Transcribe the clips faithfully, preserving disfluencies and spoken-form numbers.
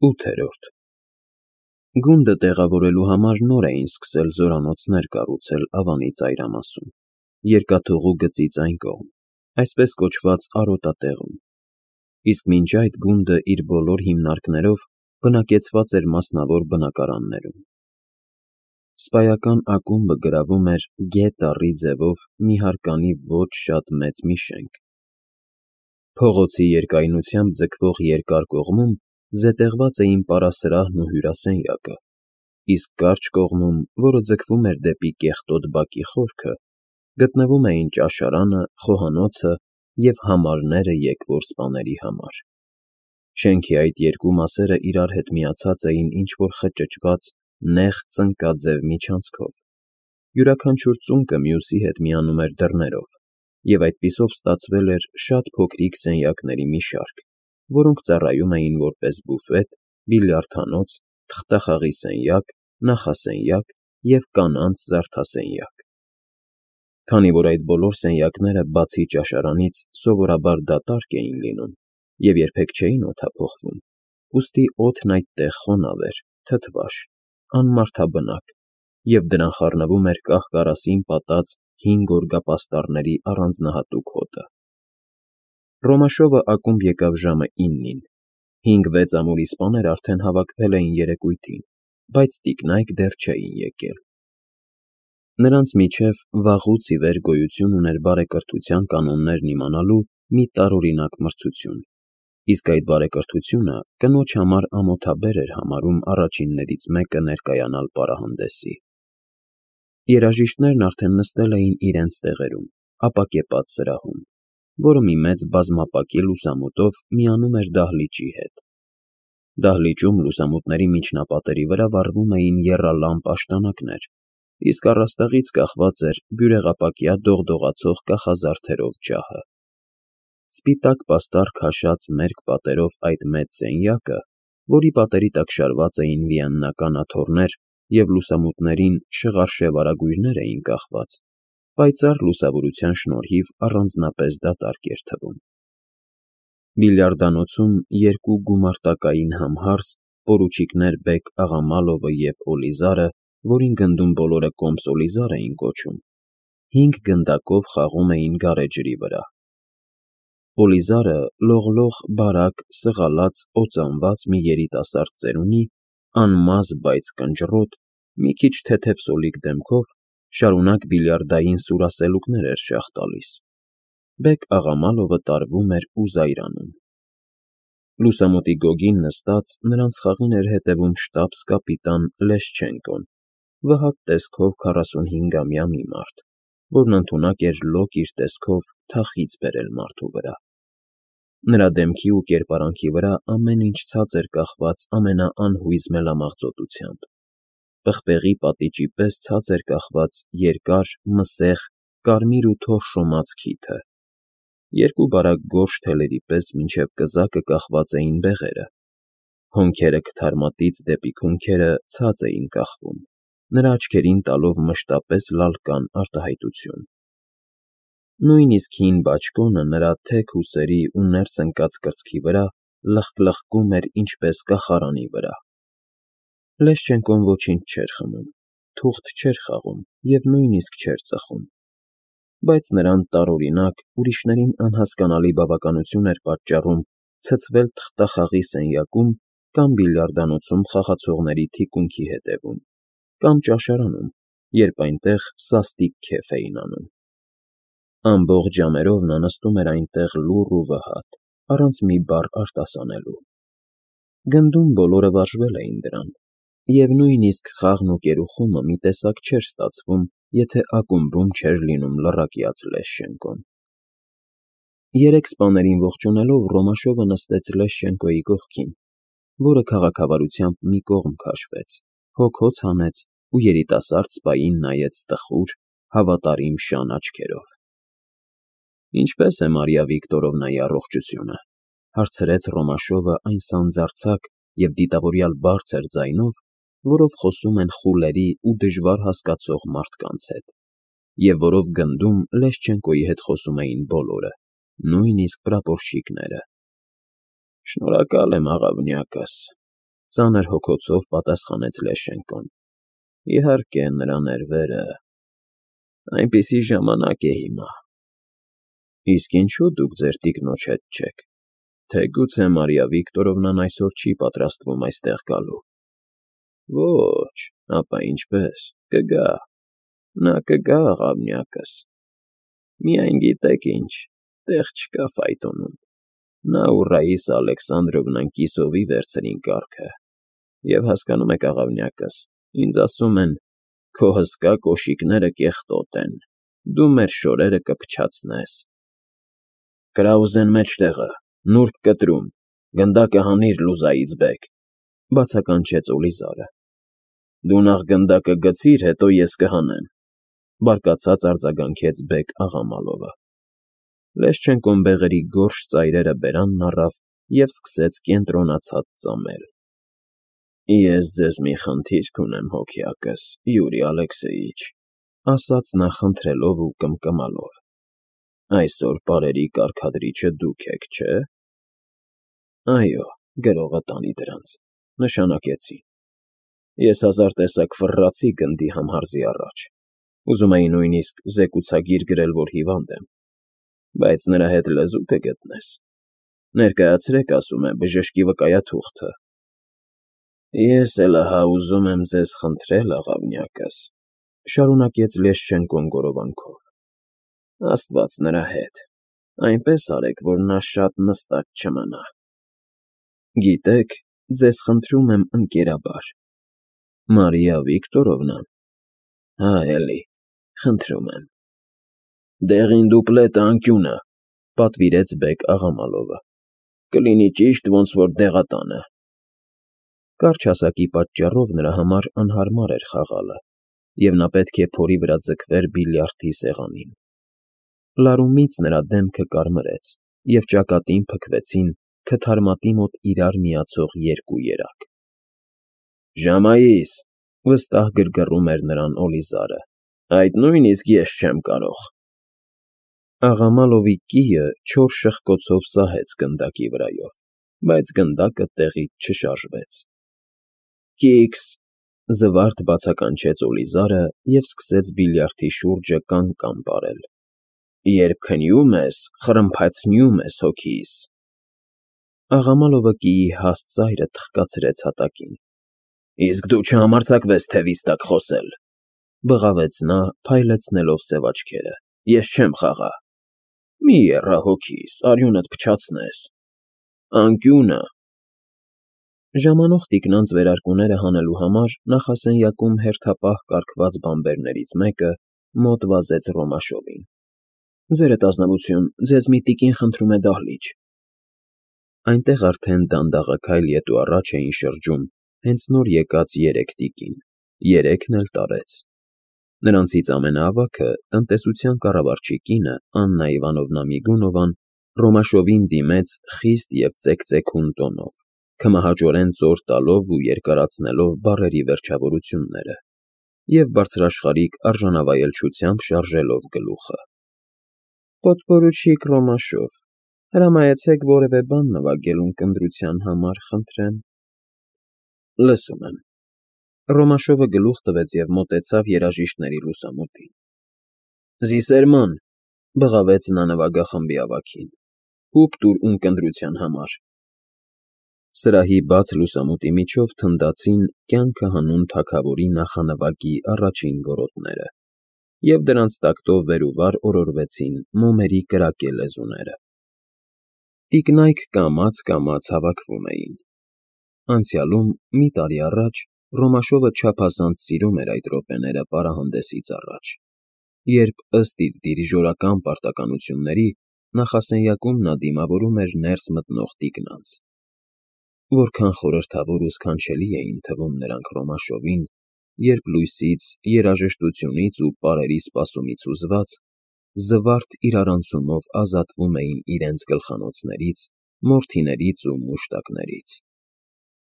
ՈՒԹԵՐՈՐԴ Գունդը տեղավորելու համար նոր էին սկսել զորանոցներ կառուցել Ավանի ծայրամասում, երկաթուղու գծից այն կողմ, այսպես կոչված արոտատեղում, իսկ մինչ այդ գունդը իր բոլոր հիմնարկներով բնակեցված էր մասնավոր բնակարաններում։ Սպայական ակումբը գրավում էր Գ տառի ձևով մի հարկանի ոչ շատ մեծ մի շենք։ Փողոցի երկայնությամբ ձգվող երկար կողմում զետեղված էին պարասրահն ու հյուրասենյակը, իսկ կարճ կողմում, որը ձգվում էր դեպի կեղտոտ բակի խորքը, գտնվում էին ճաշարանը, խոհանոցը և համարները եկվոր սպաների համար։ Շենքի այդ երկու մասերը իրար հետ միացած էին ինչ-որ խճճված, նեղ ծնկաձև միջանցքով, յուրաքանչյուր ծունկը մյուսի հետ միանում էր դռներով, և այդպիսով ստացվել էր շատ փոքրիկ սենյակների մի շարք, որոնք ծառայում էին որպես բուֆետ, բիլիարդանոց, թղթախաղի սենյակ, նախասենյակ և կանանց զարդասենյակ։ Քանի որ այդ բոլոր սենյակները, բացի ճաշարանից, սովորաբար դատարկ էին լինում և երբեք չէին օդափոխվում, ուստի օդն այդտեղ խոնավ էր, թթվաշ, անմարդաբնակ, և դրան խառնվում էր կահ֊կարասին պատած հին գորգապաստառների առանձնահատուկ հոտը։ Ռոմաշովը ակումբ եկավ ժամը իննին, հինգ֊վեց ամուրի սպաներ արդեն հավաքվել էին երեկույթին, բայց տիկնայք դեռ չէին եկել։ Նրանց միջև վաղուց ի վեր գոյություն ուներ բարեկրթության կանոններն իմանալու մի տարօրինակ մրցություն, իսկ այդ բարեկրթությունը կնոջ համար ամոթաբեր էր համարում առաջիններից մեկը ներկայանալ պարահանդեսի։ Երաժիշտներն արդեն նստել էին իրենց տեղերում, ապակեպած սրահում, որը մի մեծ բազմապակի լուսամուտով միանում էր դահլիճի հետ։ Դահլիճում լուսամուտների միջնապատերի վրա վառվում էին եռալամպ աշտանակներ, իսկ առաստաղից կախված էր բյուրեղապակյա դողդողացող կախազարդերով ջահը։ Սպիտակ պաստառ քաշած մերկ պատերով այդ մեծ սենյակը, որի պատերի տակ շարված էին վիեննական աթոռներ և լուսամուտներին շղարշև արագույրներ էին կախված, պայծառ լուսավորության շնորհիվ առանձնապես դատարկ էր թվում։ Բիլիարդանոցում երկու գումարտակային համհարս, պորուչիկներ Բեկ Աղամալովը և Օլիզարը, որին գնդում բոլորը կոմս Օլիզար էին կոչում, հինգ գնդակով խաղում էին գարեջրի վրա։ Օլիզարը լողլող, բարակ, սղալած, օծանված մի երիտասարդ ծերունի, անմազ, բայց կնճռոտ, մի քիչ թեթև սոլիկ դեմքով, շարունակ բիլիարդային սուրասելուկներ էր շաղ տալիս։ Բեկ Աղամալովը տարվում էր ու զայրանում։ Լուսամուտի գոգին նստած նրանց խաղին էր հետևում շտաբս֊կապիտան Լեշչենկոն, վհատ տեսքով քառասունհինգամյա մի մարդ, որն ընդունակ էր լոկ իր տեսքով թախիծ բերել մարդու վրա։ Նրա դեմքի ու կերպարանքի վրա ամեն ինչ ցած էր կախված ամենաանհույզ մելամաղձոտությամբ։ Պղպեղի պատիճի պես ցած էր կախված երկար, մսեղ, կարմիր ու թոր շոմած քիթը։ Երկու բարակ գորշ թելերի պես մինչև կզակը կախված էին բեղերը։ Հոնքերը քթարմատից դեպի քունքերը ցած էին կախվում, նրա աչքերին տալով մշտապես լալկան արտահայտություն։ Նույնիսկ հին բաճկոնը նրա թեք ուսերի ու ներս ընկած կրծքի վրա լխկլխկում էր ինչպես կախարանի վրա։ Լեշչենկոն ոչինչ չէր խմում, թուղթ չէր խաղում և նույնիսկ չէր ծխում, բայց նրան տարօրինակ, ուրիշներին անհասկանալի բավականություն էր պատճառում ցցվել թղթախաղի սենյակում կամ բիլիարդանոցում խաղացողների թիկունքի հետևում, կամ ճաշարանում, երբ այնտեղ սաստիկ քեֆ էին անում։ Ամբողջ ժամերով նա նստում էր այնտեղ լուռ ու վհատ, առանց մի բառ արտասանելու։ Գնդում բոլորը վարժվել էին դրան, և նույնիսկ խաղն ու կերուխումը մի տեսակ չէր ստացվում, եթե ակումբում չէր լինում լռակյաց Լեշչենկոն։ Երեք սպաներին ողջունելով Ռոմաշովը նստեց Լեշչենկոյի կողքին, որը քաղաքավարությամբ մի կողմ քաշվեց, հոգոց հանեց ու երիտասարդ սպային նայեց տխուր, հավատարիմ շան աչքերով։ ֊ Ինչպե՞ս է Մարիա Վիկտորովնայի առողջությունը,֊ հարցրեց Ռոմաշովը այն սանձարձակ և դիտավորյալ բարձր ձայնով, որով խոսում են խուլերի ու դժվար հասկացող մարդկանց հետ, և որով գնդում Լեշչենկոյի հետ խոսում էին բոլորը, նույնիսկ պրապորչիկները։ ֊ Շնորհակալ եմ, աղավնյակս, Ծանր հոգոցով պատասխանեց Լեշենկոն։ Իհարկե, նրա ներվերը… Այնպիսի ժամանակ է հիմա։ Իսկ ինչո՞ւ դուք ձեր տիկնոջ հետ չեք, թե գուցե Մարիա Վիկտորովնան այսօր չի պատրաստվում այստեղ գալու։ Ոչ, ապա ինչպես, կգա, նա կգա, աղավնյակս։ Միայն գիտեք ինչ, տեղ չկա ֆայտոնում։ Նա ու Ռաիսա Ալեքսանդրովնան կիսովի վերցրին կառքը, և հասկանում եք, աղավնյակս, ինձ ասում են, քո հսկա կոշիկները կեղտոտ են, դու մեր շորերը կփչացնես։ Կրաուզեն մեջտեղը, նուրբ կտրում, գնդակը հանիր Լուզայից բեկ, բացականչեց Օլիզարը։ Դու նախ գնդակը գցիր, հետո ես կհանեմ, բարկացած արձագանքեց բեկ Աղամալովը։ Լեշչենկոն բեղերի գորշ ծայրերը բերանն առավ և սկսեց կենտրոնացած ծամել։ Ես ձեզ մի խնդիր կունեմ, հոգյակս, Յուրի Ալեքսեյիչ, ասաց նա խնդրելով ու կմկմալով։ Այսօր պարերի կարգադրիչը դուք եք, չէ՞։ Այո, գրողը տանի դրանց, նշանակեցի։ Ես հազար տեսակ ֆռռացի գնդի համհարզի առաջ, ուզում էի նույնիսկ զեկուցագիր գրել, որ հիվանդ եմ, բայց նրա հետ լեզու կգտնես։ Ներկայացրեք, ասում է, բժշկի վկայաթուղթը։ Ես էլ ահա ուզում եմ ձեզ խնդրել, աղավնյակս, շարունակեց Լեշչենկոն գորովանքով, Աստված նրա հետ, այնպես արեք, որ նա շատ նստած չմնա։ Գիտեք, ձեզ խնդրում եմ ընկերաբար։ Մարիա Վիկտորովնան։ Հա, էլի, խնդրում եմ։ Դեղին դուպլետը անկյունը, պատվիրեց բեկ Աղամալովը։ Կլինի ճիշտ, ոնց որ դեղատանը։ Կարճ հասակի պատճառով նրա համար անհարմար էր խաղալը, և նա պետք է փորի վրա ձգվեր բիլիարդի սեղանին։ Լարումից նրա դեմքը կարմրեց, և ճակատին փքվեցին քթարմատի մոտ իրար միացող երկու երակ։ Ժամայիս, վստահ գրգռում էր նրան Օլիզարը, այդ նույնիսկ ես չեմ կարող։ Աղամալովի կիը չոր շխկոցով սահեց գնդակի վրայով, բայց գնդակը տեղից չշարժվեց։ Կիքս, զվարթ բացականչեց Օլիզարը և սկսեց բիլիարդի շուրջը կան-կան պարել։ Երբ քնյում ես, խրմփացնյում ես հոգիս։ Աղամալովը կիի հաստ ծայրը թխկացրեց հատակին։ Իսկ դու չհամարձակվես թևիս տակ խոսել, բղավեց նա, փայլեցնելով սև աչքերը։ Ես չեմ խաղա։ Մի եռա հոգիս, արյունդ փչացնես։ Անկյունը։ Ժամանող տիկնանց վերարկուները հանելու համար նախասենյակում հերթապահ կարգված բանբերներից մեկը մոտ վազեց Ռոմաշովին։ Ձերդ ազնվություն, ձեզ մի տիկին խնդրում է դահլիճ։ Այնտեղ արդեն դանդաղաքայլ ետ ու առաջ էին շրջում հենց նոր եկած երեք տիկին, երեքն էլ տարեց։ Նրանցից ամենաավագը, տնտեսության կառավարչի կինը, Աննա Իվանովնա Միգունովան, Ռոմաշովին դիմեց խիստ և ծեքծեքուն տոնով, քմահաճորեն ծոր տալով ու երկարացնելով բառերի վերջավորությունները և բարձրաշխարհիկ արժանավայելչությամբ շարժելով գլուխը։ Պոդպորուչիկ Ռոմաշով, հրամայեցեք որևէ բան նվագել ունկնդրության համար, խնդրեմ։ Լսում եմ։ Ռոմաշովը գլուխ տվեց և մոտեցավ երաժիշտների լուսամուտին։ Զիսերման, բղավեց նա նվագախմբի ավագին, հուպ տուր ունկնդրության համար։ Սրահի բաց լուսամուտի միջով թնդացին կյանքը հանուն թագավորի նախանվագի առաջին որոտները, և դրանց տակտով վեր ու վար օրորվեցին մոմերի կրակե լեզուները։ Տիկնայք կամաց֊կամաց հավաքվում էին։ Անցյալում, մի տարի առաջ, Ռոմաշովը չափազանց սիրում էր այդ րոպեները պարահանդեսից առաջ, երբ, ըստ իր դիրիժորական պարտականությունների, նախասենյակում նա դիմավորում էր ներս մտնող տիկնանց։ Որքան խորհրդավոր ու սքանչելի էին թվում նրանք Ռոմաշովին, երբ լույսից, երաժշտությունից ու պարերի սպասումից հուզված, զվարթ իրարանցումով ազատվում էին իրենց գլխանոցներից, մորթիներից ու մուշտակներից։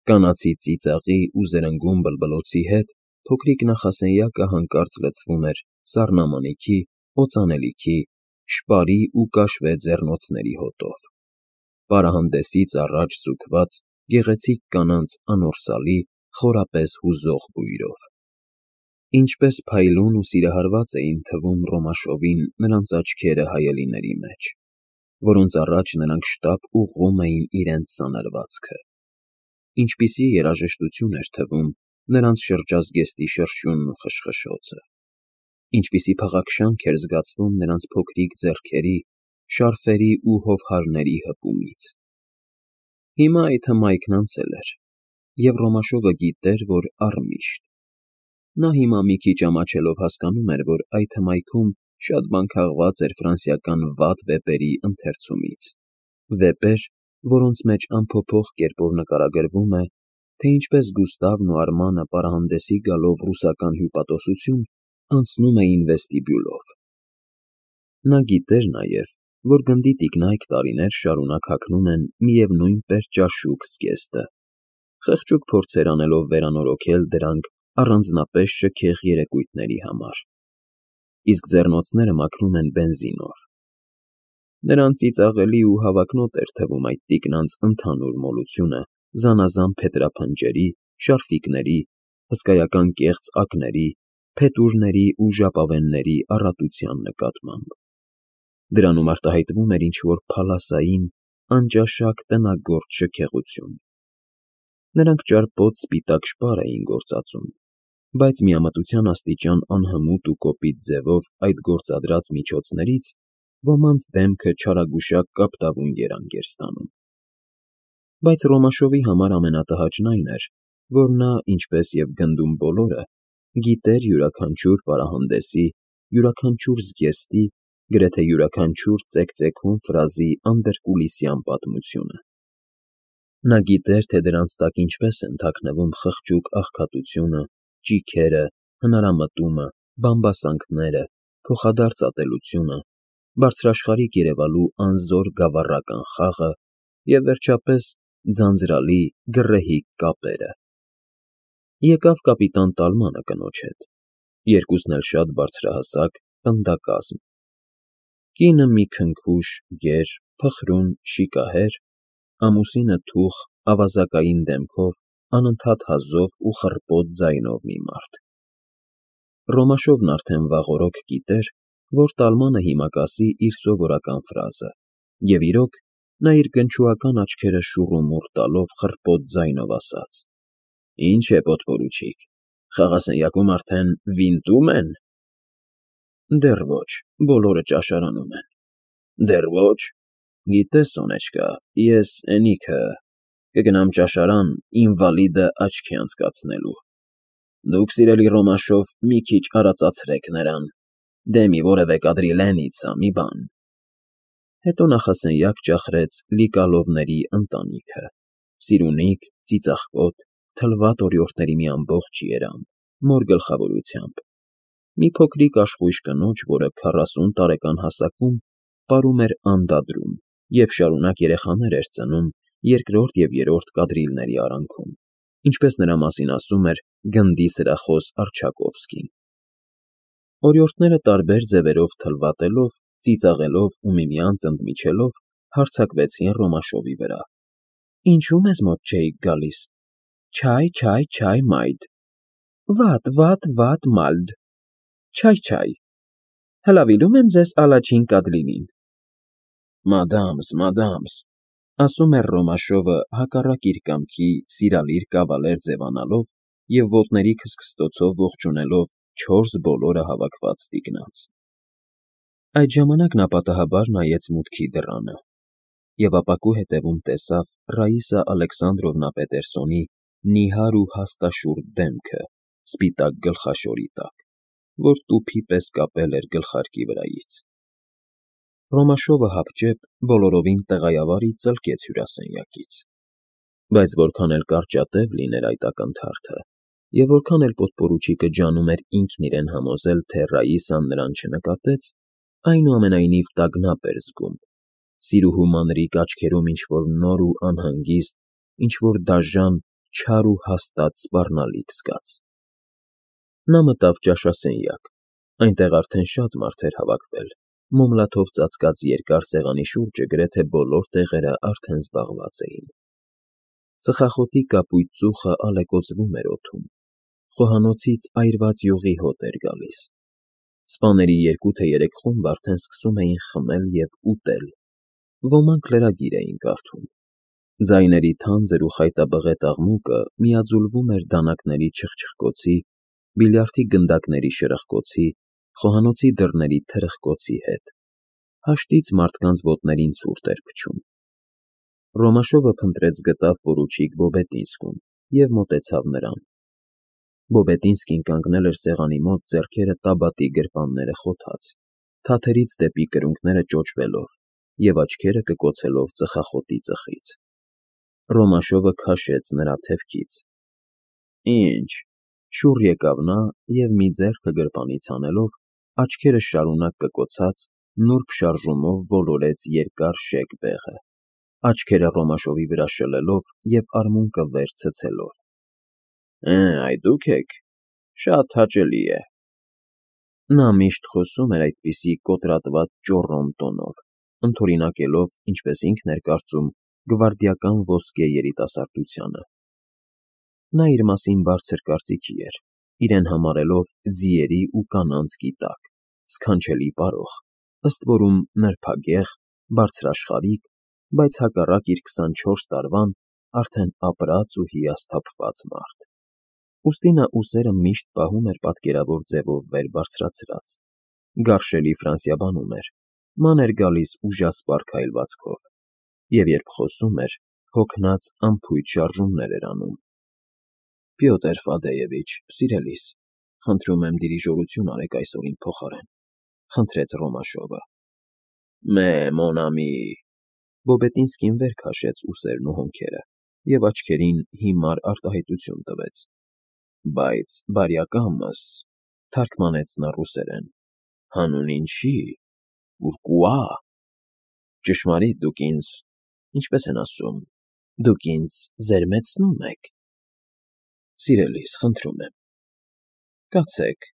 Կանացի ծիծաղի ու զրնգուն բլբլոցի հետ փոքրիկ նախասենյակը հանկարծ լցվում էր սառնամանիքի, օծանելիքի, շպարի ու կաշվե ձեռնոցների հոտով։ Պարահանդեսից առաջ ձգված գեղեցիկ կանանց անորսալի, խորապես հուզող բույրով։ Ինչպես փայլուն ու սիրահարված էին թվում Ռոմաշովին նրանց աչքերը հայելիների մեջ, որոնց առաջ նրանք շտապ ուղղում էին իրենց սանրվածքը։ Ինչպիսի երաժշտություն էր թվում նրանց շրջազգեստի շրշյունն ու խշխշոցը, ինչպիսի փաղաքշանք էր զգացվում նրանց փոքրիկ ձեռքերի, շարֆերի ու հովհարների հպումից։ Հիմա այդ հմայքն անցել էր, և Ռոմաշովը գիտեր, որ առմիշտ։ Նա հիմա մի քիչ ամաչելով հասկանում էր, որ այդ հմայքում շատ բան քաղված էր ֆրանսիական վատ վեպերի ընթերցումից, վեպեր, որոնց մեջ անփոփոխ կերպով նկարագրվում է, թե ինչպես Գուստավն ու Արմանը պարահանդեսի գալով ռուսական հյուպատոսություն անցնում էին վեստիբյուլով։ Նա գիտեր նաև, որ գնդի տիկնայք տարիներ շարունակ հագնում են միևնույն պերճաշուք զգեստը, խղճուկ փորձեր անելով վերանորոգել դրանք առանձնապես շքեղ երեկույթների համար, իսկ ձեռնոցները մաքրում են բենզինով։ Նրան ծիծաղելի ու հավակնոտ էր թվում այդ տիկնանց ընդհանուր մոլությունը զանազան փետրափնջերի, շարֆիկների, հսկայական կեղծ ակների, փետուրների ու ժապավենների առատության նկատմամբ։ Դրանում արտահայտվում էր ինչ-որ փալասային, անճաշակ տնագործ շքեղություն։ Նրանք ճարպոտ սպիտակ շպար էին գործածում, բայց միամտության աստիճան անհմուտ ու կոպիտ ձևով այդ գործադրած միջոցներից ոմանց դեմքը չարագուշակ կապտավուն երանգ էր ստանում։ Բայց Ռոմաշովի համար ամենատհաճն այն էր, որ նա, ինչպես և գնդում բոլորը, գիտեր յուրաքանչյուր պարահանդեսի, յուրաքանչյուր զգեստի, գրեթե յուրաքանչյուր ծեքծեքուն ֆրազի անդրկուլիսյան պատմությունը։ Նա գիտեր, թե դրանց տակ ինչպես են թաքնվում խղճուկ աղքատությունը, ճիգերը, հնարամտումը, բամբասանքները, փոխադարձ ատելությունը, բարձրաշխարհիկ երևալու անզոր գավառական խաղը և, վերջապես, ձանձրալի, գռեհիկ կապերը։ Եկավ կապիտան Տալմանը կնոջ հետ, երկուսն էլ շատ բարձրահասակ, պնդակազմ։ Կինը մի քնքուշ, գեր, փխրուն, շիկահեր, ամուսինը թուխ, ավազակային դեմքով, անընդհատ հազով ու խռպոտ ձայնով մի մարդ։ Ռոմաշովն արդեն վաղօրոք գիտեր, որ Տալմանը հիմա կասի իր սովորական ֆրազը, և իրոք, նա իր գնչուական աչքերը շուռումուռ տալով խռպոտ ձայնով ասաց. «Ի՞նչ է, պոդպորուչիկ, խաղասենյակում արդեն վինտո՞ւմ են»։ Դեռ ոչ, բոլորը ճաշարանում են։ Դեռ ոչ։ Գիտես, Սոնեչկա, ես էնիքը կգնամ ճաշարան ինվալիդը աչքի անցկացնելու։ Դուք, սիրելի Ռոմաշով, մի քիչ արածացրեք նրան, դե մի որևէ կադրիլենիցա, մի բան։ Հետո նախասենյակ ճախրեց Լիկալովների ընտանիքը՝ Սիրունիկ, Ծիծաղկոտ, թլվատ օրիորդների մի ամբողջ երամ, մոր գլխավորությամբ, մի փոքրիկ աշխույժ կնոջ, որը քառասուն տարեկան հասակում պարում էր անդադրում և շարունակ երեխաներ էր ծնում երկրորդ և երրորդ կադրիլների արանքում, ինչպես նրա մասին ասում էր գնդի սրախոս Առչակովսկին։ Օրիորդները տարբեր ձևերով թլվատելով, ծիծաղելով ու միմյանց ընդմիջելով հարձակվեցին Ռոմաշովի վրա։ Ինչու մեզ մոտ չէիք գալիս։ Չայ, չայ, չայ, մայդ։ Վատ, վատ, վատ, մալդ։ Չայ, չայ։ Հլավիլում եմ ձեզ ալաչին կադրիլին։ Մադամս, մադամս, ասում էր Ռոմաշովը հակառակ իր կամքի սիրալիր կավալեր ձևանալով և ոտների քսքստոցով ողջունելով չորս բոլորը հավաքված տիկնանց։ Այդ ժամանակ նա պատահաբար նայեց մուտքի դռանը և ապակու հետևում տեսավ Ռաիսա Ալեքսանդրովնա Պետերսոնի նիհար ու հաստաշուռ դեմքը սպիտակ գլխաշորի տակ, որ տուփի պես կապել էր գլխարկի վրայից։ Ռոմաշովը հապճեպ բոլորովին տեղայավար ծլկեց հյուրասենյակից։ Բայց որքան էլ կարճատև լիներ այդ ակնթարթը, և որքան էլ պոդպորուչիկը ջանում էր ինքն իրեն համոզել, թե Ռաիսան նրան չնկատեց, այնուամենայնիվ տագնապ էր զգում, սիրուհու մանրիկ աչքերում ինչ֊որ նոր ու անհանգիստ, ինչ֊որ դաժան, չար ու հաստատ սպառնալիք զգաց։ Նա մտավ ճաշասենյակ, այնտեղ արդեն շատ մարդ էր հավաքվել, մոմլաթով ծածկած երկար սեղանի շուրջը գրեթե բոլոր տեղերը արդեն զբաղված էին։ Ծխախոտի կապույտ ծուխը ալեկոծվում էր օդում, խոհանոցից այրված յուղի հոտ էր գալիս։ Սպաների երկու թե երեք խումբ արդեն սկսում էին խմել և ուտել, ոմանք լրագիր էին կարդում։ Ձայների թանձր ու խայտաբղետ աղմուկը միաձուլվում էր դանակների չխչխկոցի, բիլիարդի գնդակների շրխկոցի, խոհանոցի դռների թրխկոցի հետ։ Հաշտից մարդկանց ոտներին ցուրտ էր փչում։ Ռոմաշովը փնտրեց գտավ պորուչիկ Վոբետինսկուն և մոտեցավ նրան։ Վոբետինսկին կանգնել էր սեղանի մոտ, ձեռքերը տաբատի գրպանները խոթած, թաթերից դեպի կրունկները ճոճվելով և աչքերը կկոցելով ծխախոտի ծխից։ Ռոմաշովը քաշեց նրա թևքից։ Ինչ, շուռ եկավ նա և մի ձեռքը գրպանից հանելով, աչքերը շարունակ կկոցած, նուրբ շարժումով ոլորեց երկար շեկ բեղը, աչքերը Ռոմաշովի վրա շլելով և արմունկը վեր ցցելով։ Էէ, այ դուք եք, շատ հաճելի է։ Նա միշտ խոսում էր այդպիսի կոտրատված ճոռոմ տոնով, ընդօրինակելով, ինչպես ինքն էր կարծում, գվարդիական ոսկե երիտասարդությանը։ Նա իր մասին բարձր կարծիքի էր, իրեն համարելով ձիերի ու կանանց գիտակ, սքանչելի պարող, ըստ որում նրբագեղ, բարձրաշխարհիկ, բայց հակառակ իր քսանչորս տարվան արդեն ապրած ու հիասթափված մարդ։ Ուստի նա ուսերը միշտ պահում էր պատկերավոր ձևով վեր բարձրացրած, գարշելի ֆրանսիաբանում էր, ման էր գալիս ուժասպառ քայլվածքով, և երբ խոսում էր, հոգնած անփույթ շարժումներ էր անում։ Պյոտր Ֆադեևիչ, սիրելիս, խնդրում եմ դիրիժորություն արեք այսօր իմ փոխարեն, խնդրեց Ռոմաշովը։ Մե մոն ամի… Վոբետինսկին վեր քաշեց ուսերն ու հոնքերը և աչքերին հիմար արտահայտություն տվեց։ Բայց բարյակամս, թարգմանեց նա ռուսերեն, հանուն ինչի, պուրկուա… Ճշմարիտ, դուք ինձ… ինչպես են ասում, դուք ինձ զերմեցնում եք… Սիրելիս, խնդրում եմ… Կացեք,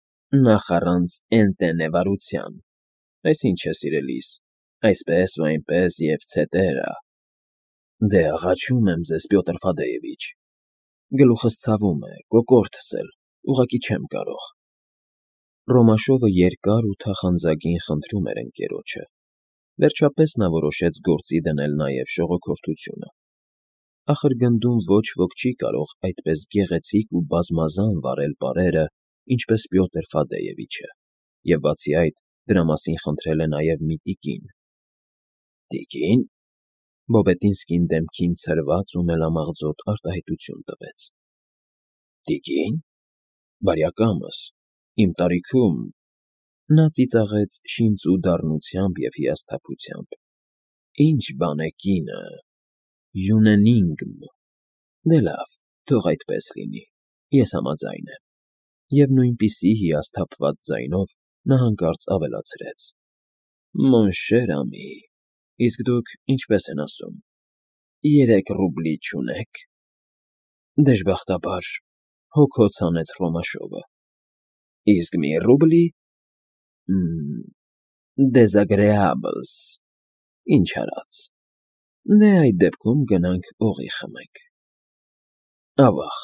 նախ առանց էնտենևարության… Այս ինչ է, սիրելիս, այսպես ու այնպես և ցետերա… Դե, աղաչում եմ ձեզ, Պյոտր Ֆադեևիչ… Գլուխս ցավում է, կոկորդս էլ, ուղղակի չեմ կարող… Ռոմաշովը երկար ու թախանձագին խնդրում էր ընկերոջը, վերջապես նա որոշեց գործի դնել նաև շողոքորթությունը։ Ախր գնդում ոչ ոք չի կարող այդպես գեղեցիկ ու բազմազան վարել պարերը, ինչպես Պյոտր Ֆադեևիչը, և բացի այդ, դրա մասին խնդրել է նաև մի տիկին։ Տիկի՞ն… Վոբետինսկին դեմքին ցրված ու մելամաղձոտ արտահայտություն տվեց։ Տիկի՞ն… Բարյակամս, իմ տարիքում… Նա ծիծաղեց շինծու դառնությամբ և հիասթափությամբ։ Ինչ բան է կինը… Յունենինգմ… Դե լավ, թող այդպես լինի, ես համաձայն եմ… Եվ նույնպիսի հիասթափված ձայնով նա հանկարծ ավելացրեց. Մոն շեր ամի… Իսկ դուք ինչպես են ասում, երեք ռուբլի չունե՞ք… Դժբախտաբար, հոգոց հանեց Ռոմաշովը։ Իսկ մի ռուբլի… Մմ… Դեզագրեաբլս… Ինչ արած… Դե, այդ դեպքում գնանք օղի խմենք… Ավա՜ղ,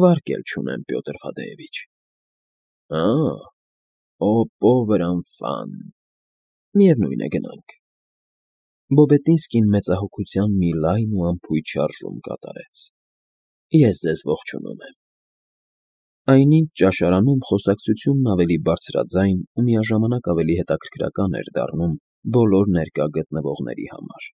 վարկ էլ չունեմ, Պյոտր Ֆադեևիչ… Ա՜, օ պովր անֆան… Միևնույն է, գնանք… Վոբետինսկին մեծահոգության մի լայն ու անփույթ շարժում կատարեց։ Ես ձեզ ողջունում եմ… Այնինչ ճաշարանում խոսակցությունն ավելի բարձրաձայն ու միաժամանակ ավելի հետաքրքրական էր դառնում բոլոր ներկա գտնվողների համար։